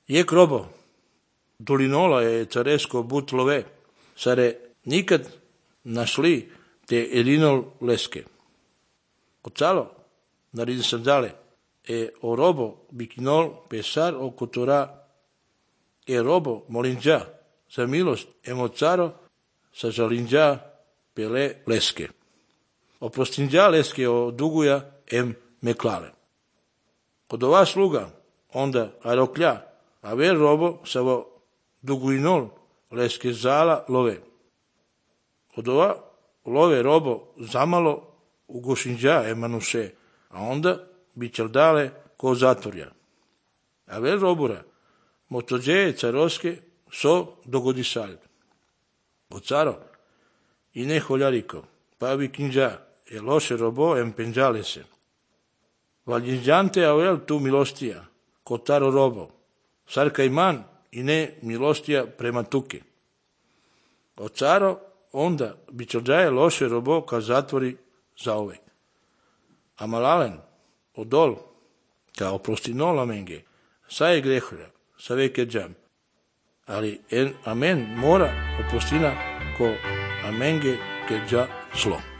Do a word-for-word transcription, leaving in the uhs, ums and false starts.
Jek robo, dolinola je caresko but love, sare nikad našli te elinol leske. Ocalo, naredi sem dale, e o robo bikinol pesar o kotora, e robo molinđa, za milost emo caro, sa žalinđa pele leske. Oprostinđa leske o duguja em meklale. Kod ova sluga, onda aroklja, a ver robo savo duguinol leske zala love. Kod ova love robo zamalo ugošinđa emanuše, a onda bićel dale ko zatvorja. A ver robura, motođeje caroske so dogodi salj. O caro, i ne holjariko, pa bi kinđa, e loše robo em penđale se. Valjinđante avel tu milostija, ko taro robo, sarka iman i ne milostija prema tuke. O caro, onda bićelđaje loše robo ka zatvori za ovek. A malalen, odol, ka oprostinola menge, sa je greholja, sa veke džam. Ali en amen mora oprostina ko amenge ke dža slo.